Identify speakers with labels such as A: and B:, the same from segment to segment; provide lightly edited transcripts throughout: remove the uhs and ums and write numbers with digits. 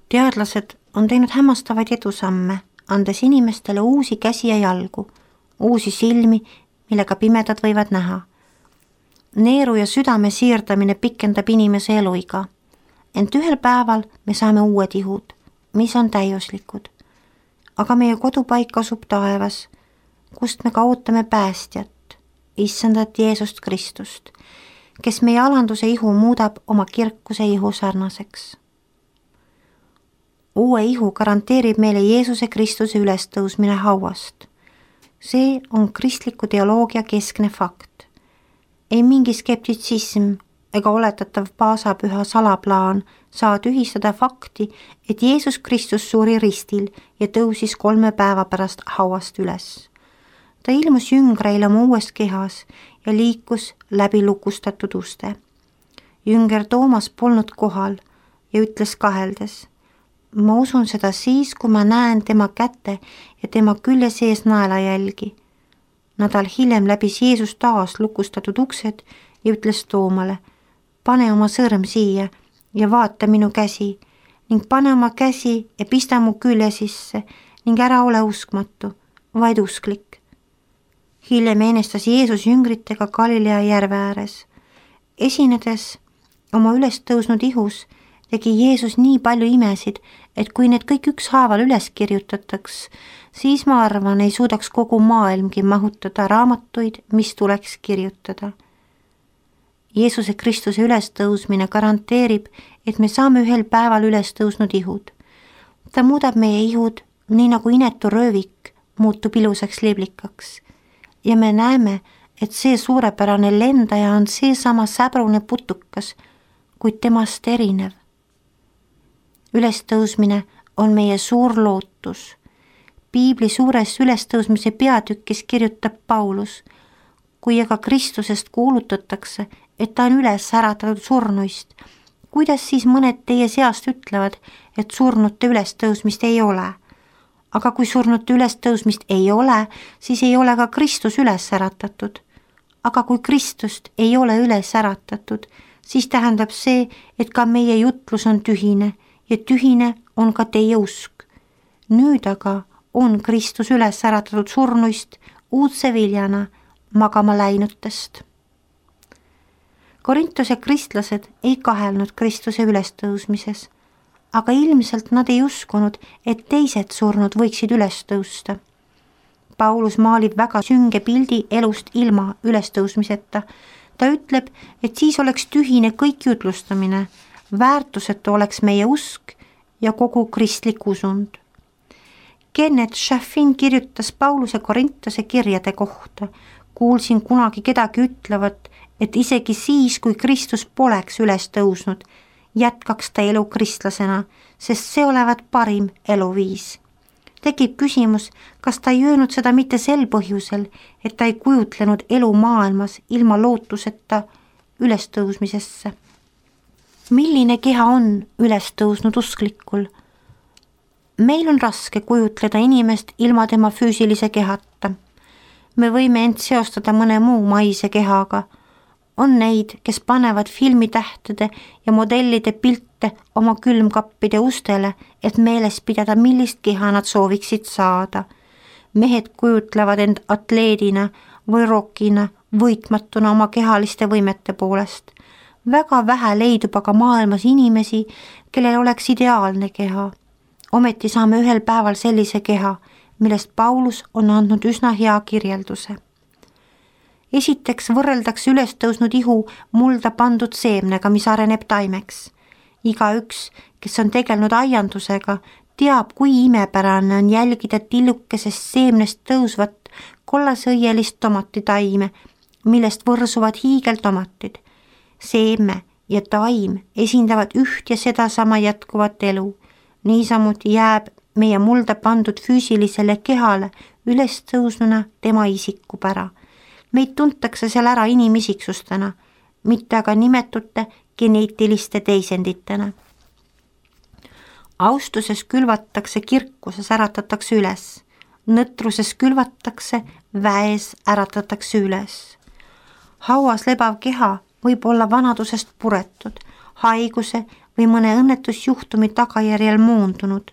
A: Teadlased on teinud hämmastavaid edusamme, andes inimestele uusi käsi ja jalgu, uusi silmi, millega pimedad võivad näha. Neeru ja südame siirdamine pikendab inimese eluiga, ent ühel päeval me saame uued ihud, mis on täiuslikud. Aga meie kodupaik asub taevas, kust me ka ootame päästjat, issandat Jeesust Kristust, kes meie alanduse ihu muudab oma kirkuse ihu sarnaseks. Uue ihu garanteerib meile Jeesuse Kristuse ülestõusmine hauast. See on kristliku teoloogia keskne fakt. Ei mingi skeptitsism ega oletatav paasapüha salaplaan saa tühistada fakti, et Jeesus Kristus suri ristil ja tõusis 3 päeva pärast hauast üles. Ta ilmus jüngreile oma uues kehas ja liikus läbi lukustatud uste. Jünger Toomas polnud kohal ja ütles kaheldes: ma usun seda siis, kui ma näen tema käte ja tema külje sees naelajälgi. Nädal hiljem läbis Jeesus taas lukustatud uksed ja ütles Toomale: pane oma sõrm siia ja vaata minu käsi ning pane oma käsi ja pista mu külje sisse ning ära ole uskmatu, vaid usklik. Hiljem eenestas Jeesus jüngritega Galilea järve ääres. Esinedes oma üles tõusnud ihus tegi Jeesus nii palju imesid, et kui need kõik ükshaaval üles kirjutataks, siis ma arvan, ei suudaks kogu maailmgi mahutada raamatuid, mis tuleks kirjutada. Jeesuse Kristuse ülestõusmine garanteerib, et me saame ühel päeval ülestõusnud ihud. Ta muudab meie ihud nii nagu inetu röövik muutub ilusaks liblikaks. Ja me näeme, et see suurepärane lendaja on seesama säbrune putukas, kuid temast erinev. Ülestõusmine on meie suur lootus. Piibli suures ülestõusmise peatükis kirjutab Paulus: kui aga Kristusest kuulutatakse, et ta on üles äratatud surnuist, kuidas siis mõned teie seast ütlevad, et surnute ülestõusmist ei ole? Aga kui surnute ülestõusmist ei ole, siis ei ole ka Kristus üles äratatud. Aga kui Kristust ei ole üles äratatud, siis tähendab see, et ka meie jutlus on tühine ja tühine on ka teie usk. Nüüd aga on Kristus üles äratatud surnuist uudse viljana magama läinutest. Korintuse kristlased ei kahelnud Kristuse ülestõusmises, aga ilmselt nad ei uskunud, et teised surnud võiksid üles tõusta. Paulus maalib väga sünge pildi elust ilma ülestõusmiseta. Ta ütleb, et siis oleks tühine kõik jutlustamine, väärtusetu oleks meie usk ja kogu kristlik usund. Kenneth Chaffin kirjutas Pauluse Korintuse kirjade kohta. Kuulsin kunagi kedagi ütlevat, et isegi siis, kui Kristus poleks üles tõusnud, jätkaks ta elu kristlasena, sest see olevat parim eluviis. Tekib küsimus, kas ta ei öelnud seda mitte sel põhjusel, et ta ei kujutlenud elu maailmas ilma lootuseta ülestõusmisesse. Milline keha on ülestõusnud usklikul? Meil on raske kujutleda inimest ilma tema füüsilise kehata. Me võime end seostada mõne muu maise kehaga. On neid, kes panevad filmitähtede ja modellide pilte oma külmkappide ustele, et meeles pidada, millist keha nad sooviksid saada. Mehed kujutlevad end atleedina või rokina, võitmatuna oma kehaliste võimete poolest. Väga vähe leidub aga maailmas inimesi, kellel oleks ideaalne keha. Ometi saame ühel päeval sellise keha, millest Paulus on andnud üsna hea kirjelduse. Esiteks võrreldakse ülestõusnud ihu mulda pandud seemnega, mis areneb taimeks. Igaüks, kes on tegelenud aiandusega, teab, kui imepärane on jälgida tillukesest seemnest tõusvat kollasõielist tomatitaime, millest võrsuvad hiigeltomatid. Seeme ja taim esindavad üht ja sedasama jätkuvat elu. Niisamuti jääb meie mulda pandud füüsilisele kehale ülestõusnuna tema isikupära. Meid tuntakse seal ära inimisiksustena, mitte aga nimetute geneetiliste teisenditena. Austuses külvatakse, kirkuses äratatakse üles. Nõtruses külvatakse, väes äratatakse üles. Hauas lebav keha võib olla vanadusest puretud, haiguse või mõne õnnetusjuhtumi tagajärjel moondunud,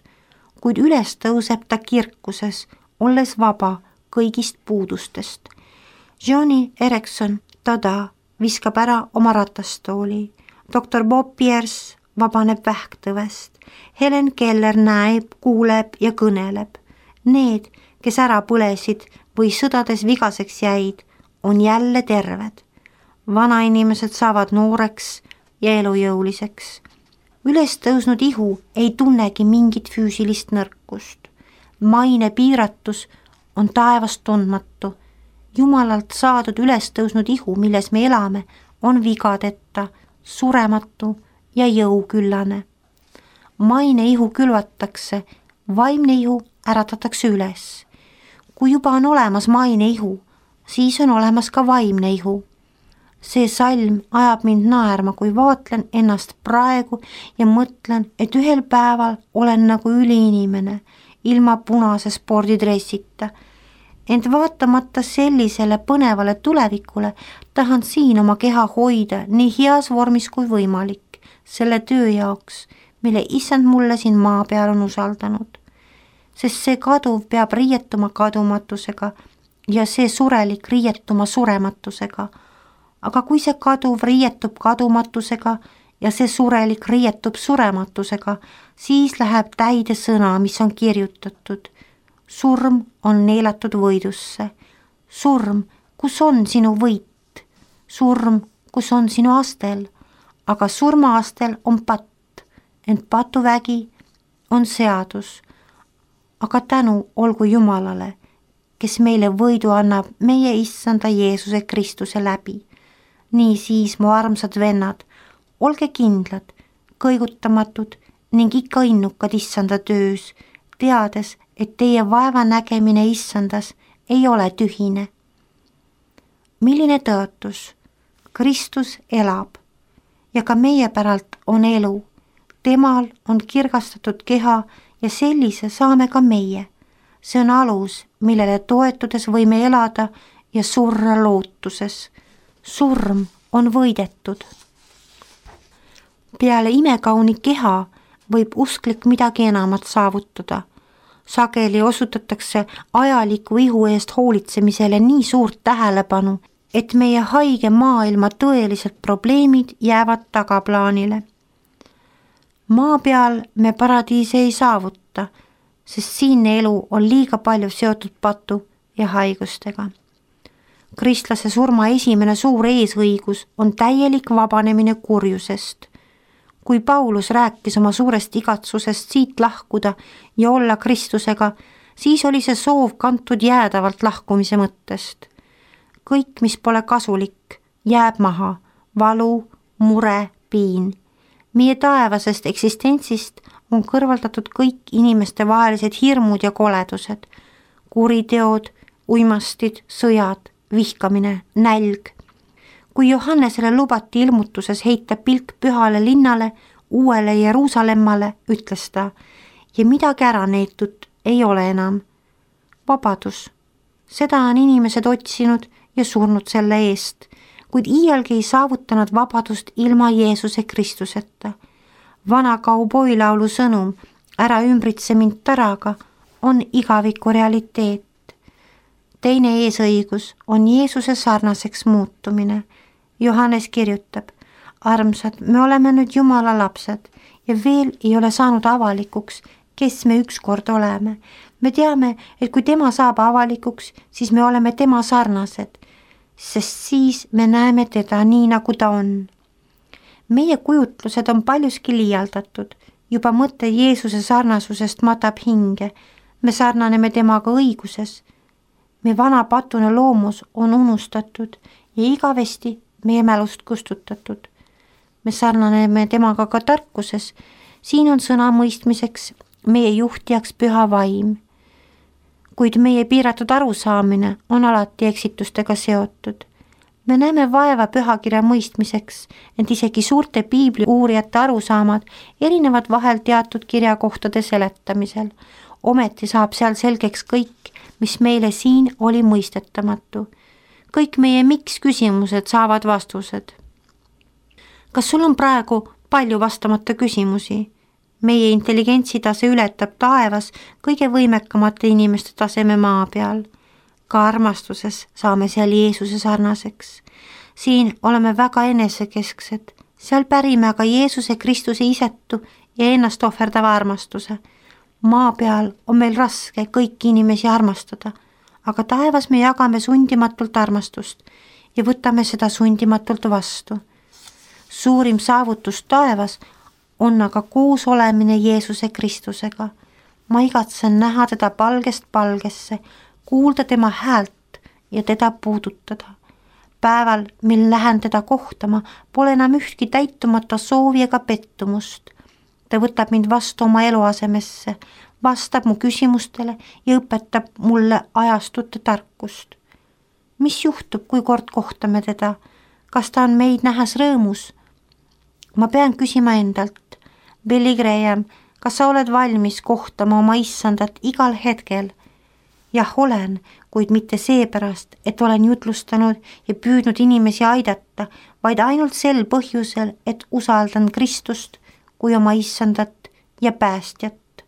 A: kuid üles tõuseb ta kirkuses, olles vaba kõigist puudustest. Joni Erekson, tada, viskab ära oma ratastooli. Doktor Bob Pierce vabaneb vähktõvest. Helen Keller näeb, kuuleb ja kõneleb. Need, kes ära põlesid või sõdades vigaseks jäid, on jälle terved. Vanainimesed saavad nooreks ja elujõuliseks. Üles tõusnud ihu ei tunnegi mingit füüsilist nõrkust. Maine piiratus on taevast tundmatu. Jumalalt saadud üles tõusnud ihu, milles me elame, on vigadeta, surematu ja jõuküllane. Maine ihu külvatakse, vaimne ihu äratatakse üles. Kui juba on olemas maine ihu, siis on olemas ka vaimne ihu. See salm ajab mind naerma, kui vaatlen ennast praegu ja mõtlen, et ühel päeval olen nagu üliinimene, ilma punase spordidressita. Ent vaatamata sellisele põnevale tulevikule tahan siin oma keha hoida nii heas vormis kui võimalik, selle töö jaoks, mille issand mulle siin maa peal on usaldanud. Sest see kaduv peab riietuma kadumatusega ja see surelik riietuma surematusega. Aga kui see kaduv riietub kadumatusega ja see surelik riietub surematusega, siis läheb täide sõna, mis on kirjutatud. Surm on neelatud võidusse. Surm, kus on sinu võit? Surm, kus on sinu astel? Aga surmaastel on patt, ent patuvägi on seadus. Aga tänu olgu Jumalale, kes meile võidu annab meie issanda Jeesuse Kristuse läbi. Nii siis, mu armsad vennad, olge kindlad, kõigutamatud ning ikka innukad issanda töös, teades, et teie vaeva nägemine issandas ei ole tühine. Milline tõotus? Kristus elab ja ka meie päralt on elu. Temal on kirgastatud keha ja sellise saame ka meie. See on alus, millele toetudes võime elada ja surra lootuses. Surm on võidetud. Peale imekauni keha võib usklik midagi enamat saavutada. Sageli osutatakse ajaliku ihu eest hoolitsemisele nii suurt tähelepanu, et meie haige maailma tõelised probleemid jäävad tagaplaanile. Maa peal me paradiisi ei saavuta, sest siinne elu on liiga palju seotud patu ja haigustega. Kristlase surma esimene suur eesõigus on täielik vabanemine kurjusest. Kui Paulus rääkis oma suurest igatsusest siit lahkuda ja olla Kristusega, siis oli see soov kantud jäädavalt lahkumise mõttest. Kõik, mis pole kasulik, jääb maha, valu, mure, piin. Meie taevasest eksistentsist on kõrvaldatud kõik inimeste vahelised hirmud ja koledused, kuriteod, uimastid, sõjad, vihkamine, nälg. Kui Johannesele lubati ilmutuses heita pilk pühale linnale, uuele Jeruusalemmale, ütles ta, ja midagi ära neetud ei ole enam. Vabadus. Seda on inimesed otsinud ja surnud selle eest, kuid iialgi ei saavutanud vabadust ilma Jeesuse Kristuseta. Vana kauboilaulu sõnum, ära ümbritse mind taraga, on igaviku realiteet. Teine eesõigus on Jeesuse sarnaseks muutumine. Johannes kirjutab, armsad, me oleme nüüd Jumala lapsed ja veel ei ole saanud avalikuks, kes me ükskord oleme. Me teame, et kui tema saab avalikuks, siis me oleme tema sarnased, sest siis me näeme teda nii, nagu ta on. Meie kujutlused on paljuski liialdatud, juba mõte Jeesuse sarnasusest matab hinge. Me sarnaneme temaga õiguses. Me vana patune loomus on unustatud ja igavesti meie mälust kustutatud. Me sarnaneme temaga ka tarkuses, siin on sõna mõistmiseks meie juhtijaks püha vaim. Kuid meie piiratud arusaamine on alati eksitustega seotud. Me näeme vaeva pühakirja mõistmiseks, ent isegi suurte piibli uurijate arusaamad erinevad vahel teatud kirjakohtade seletamisel. Ometi saab seal selgeks kõik, mis meile siin oli mõistetamatu. Kõik meie miks küsimused saavad vastused. Kas sul on praegu palju vastamata küsimusi. Meie intelligentsitase ületab taevas kõige võimekamate inimeste taseme maa peal. Ka armastuses saame seal Jeesuse sarnaseks. Siin oleme väga enesekesksed, seal pärime aga Jeesuse Kristuse isetu ja ennast ohverdava armastuse. Maa peal on meil raske kõiki inimesi armastada, aga taevas me jagame sundimatult armastust ja võtame seda sundimatult vastu. Suurim saavutus taevas on aga koos olemine Jeesuse Kristusega. Ma igatsen näha teda palgest palgesse, kuulda tema häält ja teda puudutada. Päeval, mil lähen teda kohtama, pole enam ühtki täitumata soovi ega pettumust. Ta võtab mind vastu oma eluasemesse, vastab mu küsimustele ja õpetab mulle ajastute tarkust. Mis juhtub, kui kord kohtame teda? Kas ta on meid nähes rõõmus? Ma pean küsima endalt, Billy Graham, kas sa oled valmis kohtama oma issandat igal hetkel? Jah, olen, kuid mitte seepärast, et olen jutlustanud ja püüdnud inimesi aidata, vaid ainult sel põhjusel, et usaldan Kristust kui oma issandat ja päästjat.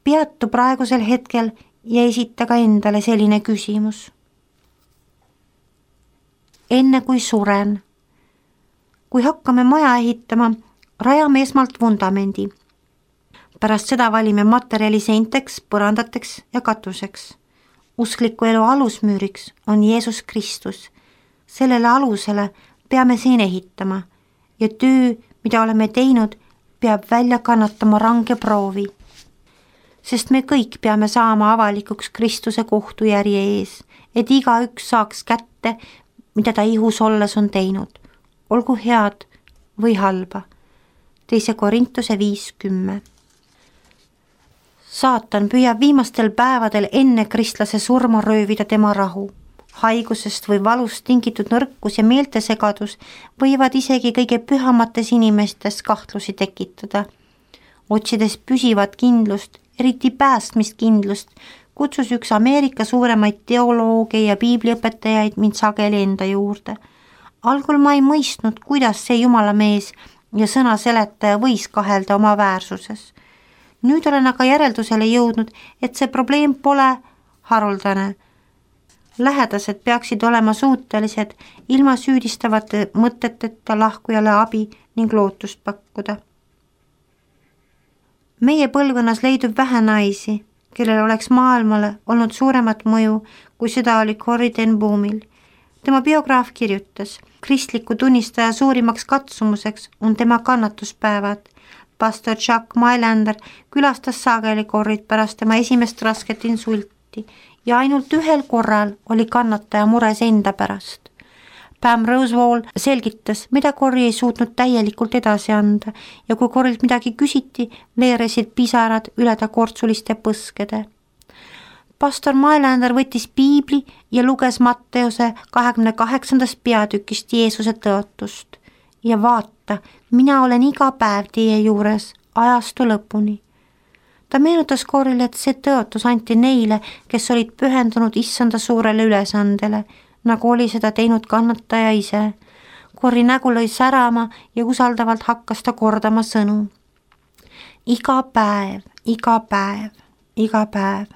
A: Peatu praegusel hetkel ja esita ka endale selline küsimus. Enne kui suren. Kui hakkame maja ehitama, rajame esmalt vundamendi. Pärast seda valime materjali seinteks, põrandateks ja katuseks. Uskliku elu alusmüüriks on Jeesus Kristus. Sellele alusele peame siin ehitama ja töö, mida oleme teinud, peab välja kannatama range proovi. Sest me kõik peame saama avalikuks Kristuse kohtujärje ees, et igaüks saaks kätte, mida ta ihus olles on teinud, olgu head või halba. 2. Korintuse 5:10. Saatan püüab viimastel päevadel enne kristlase surma röövida tema rahu. Haigusest või valust tingitud nõrkus ja meeltesegadus võivad isegi kõige pühamates inimestes kahtlusi tekitada. Otsides püsivat kindlust, eriti päästmiskindlust, kutsus üks Ameerika suuremaid teolooge ja piibliõpetajaid mind sageli enda juurde. Algul ma ei mõistnud, kuidas see Jumala mees ja sõna seletaja võis kahelda oma väärsuses. Nüüd olen aga järeldusele jõudnud, et see probleem pole haruldane. Lähedased peaksid olema suutelised ilma süüdistavate mõteteta lahkujale abi ning lootust pakkuda. Meie põlvkonnas leidub vähe naisi, kellel oleks maailmale olnud suuremat mõju, kui seda oli Corrie ten Boomil. Tema biograaf kirjutas, kristliku tunnistaja suurimaks katsumuseks on tema kannatuspäevad. Pastor Chuck Mailander külastas sageli Corrit pärast tema esimest rasket insulti ja ainult ühel korral oli kannataja mures enda pärast. Pam Rosewall selgitas, mida Corrie ei suutnud täielikult edasi anda ja kui Corrilt midagi küsiti, veeresid pisarad üle ta kortsuliste põskede. Pastor Mailander võttis piibli ja luges Matteuse 28. peatükist Jeesuse tõotust. Ja vaata, mina olen iga päev teie juures ajastu lõpuni. Ta meenutas Corrile, et see tõotus anti neile, kes olid pühendunud issanda suurele ülesandele, nagu oli seda teinud kannataja ise. Corri nägu lõi särama ja usaldavalt hakkas ta kordama sõnu. Iga päev, iga päev, iga päev.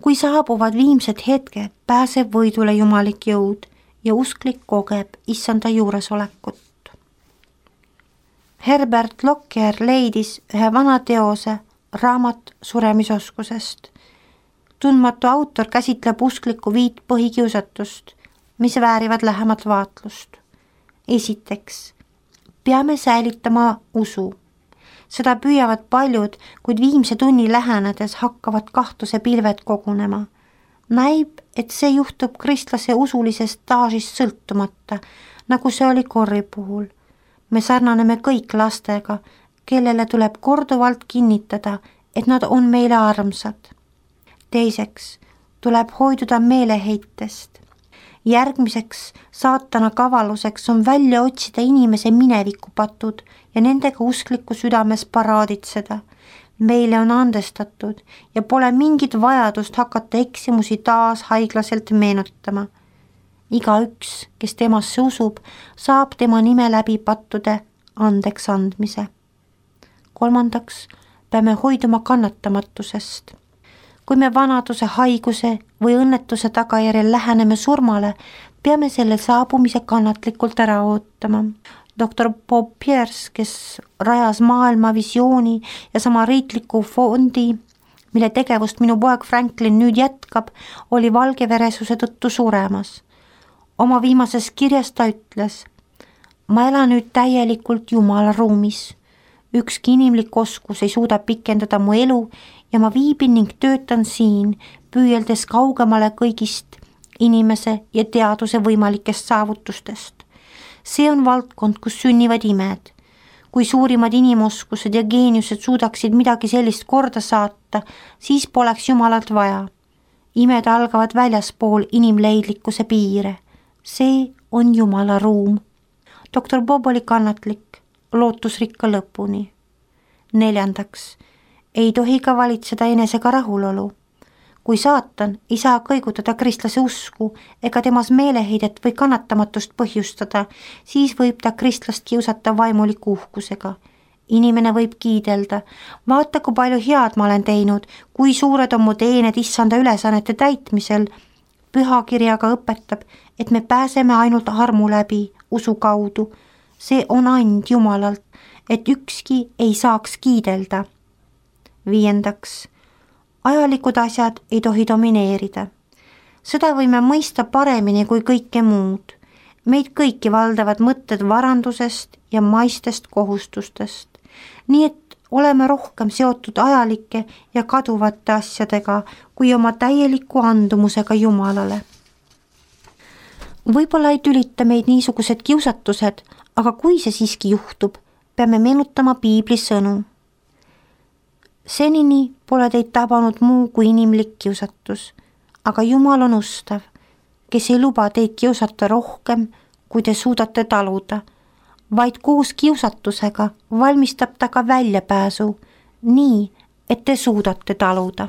A: Kui saabuvad viimsed hetked, pääseb võidule jumalik jõud ja usklik kogeb issanda juuresolekut. Herbert Lockyer leidis ühe vana teose raamat suremisoskusest. Tundmatu autor käsitleb usklikku 5 põhikiusatust, mis väärivad lähemat vaatlust. Esiteks, peame säilitama usu. Seda püüavad paljud, kuid viimse tunni lähenedes hakkavad kahtluse pilved kogunema. Näib, et see juhtub kristlase usulisest staažist sõltumata, nagu see oli Corrie puhul. Me sarnaneme kõik lastega, kellele tuleb korduvalt kinnitada, et nad on meile armsad. Teiseks, tuleb hoiduda meeleheitest. Järgmiseks saatana kavaluseks on välja otsida inimese minevikupatud ja nendega uskliku südames paraaditseda. Meile on andestatud ja pole mingit vajadust hakata eksimusi taas haiglaselt meenutama. Igaüks, kes temasse usub, saab tema nime läbi pattude andeks andmise. 3. peame hoiduma kannatamatusest. Kui me vanaduse, haiguse või õnnetuse tagajärjel läheneme surmale, peame selle saabumise kannatlikult ära ootama. Dr. Bob Pierce, kes rajas maailma visiooni ja sama riikliku fondi, mille tegevust minu poeg Franklin nüüd jätkab, oli valgeveresuse tõttu suremas. Oma viimases kirjas ta ütles: ma elan nüüd täielikult Jumala ruumis. Ükski inimlik oskus ei suuda pikendada mu elu ja ma viibin ning töötan siin, püüeldes kaugemale kõigist inimese ja teaduse võimalikest saavutustest. See on valdkond, kus sünnivad imed. Kui suurimad inimoskused ja geeniused suudaksid midagi sellist korda saata, siis poleks Jumalat vaja. Imed algavad väljaspool inimleidlikkuse piire. See on Jumala ruum. Dr. Bob oli kannatlik, lootusrikka lõpuni. 4. ei tohi ka valitseda enesega rahulolu. Kui saatan ei saa kõigutada kristlase usku ega temas meeleheidet või kannatamatust põhjustada, siis võib ta kristlast kiusata vaimuliku uhkusega. Inimene võib kiidelda: vaata, kui palju head ma olen teinud, kui suured on mu teened issanda ülesannete täitmisel. Pühakirjaga õpetab, et me pääseme ainult armu läbi, usu kaudu. See on and Jumalalt, et ükski ei saaks kiidelda. 5. ajalikud asjad ei tohi domineerida. Seda võime mõista paremini kui kõike muud. Meid kõiki valdavad mõtted varandusest ja maistest kohustustest. Nii et oleme rohkem seotud ajalike ja kaduvate asjadega kui oma täieliku andumusega Jumalale. Võib-olla ei tülita meid niisugused kiusatused, aga kui see siiski juhtub, peame meenutama piibli sõnu. Senini pole teid tabanud muu kui inimlik kiusatus, aga Jumal on ustav, kes ei luba teid kiusata rohkem, kui te suudate taluda, vaid koos kiusatusega valmistab ta ka väljapääsu, nii et te suudate taluda.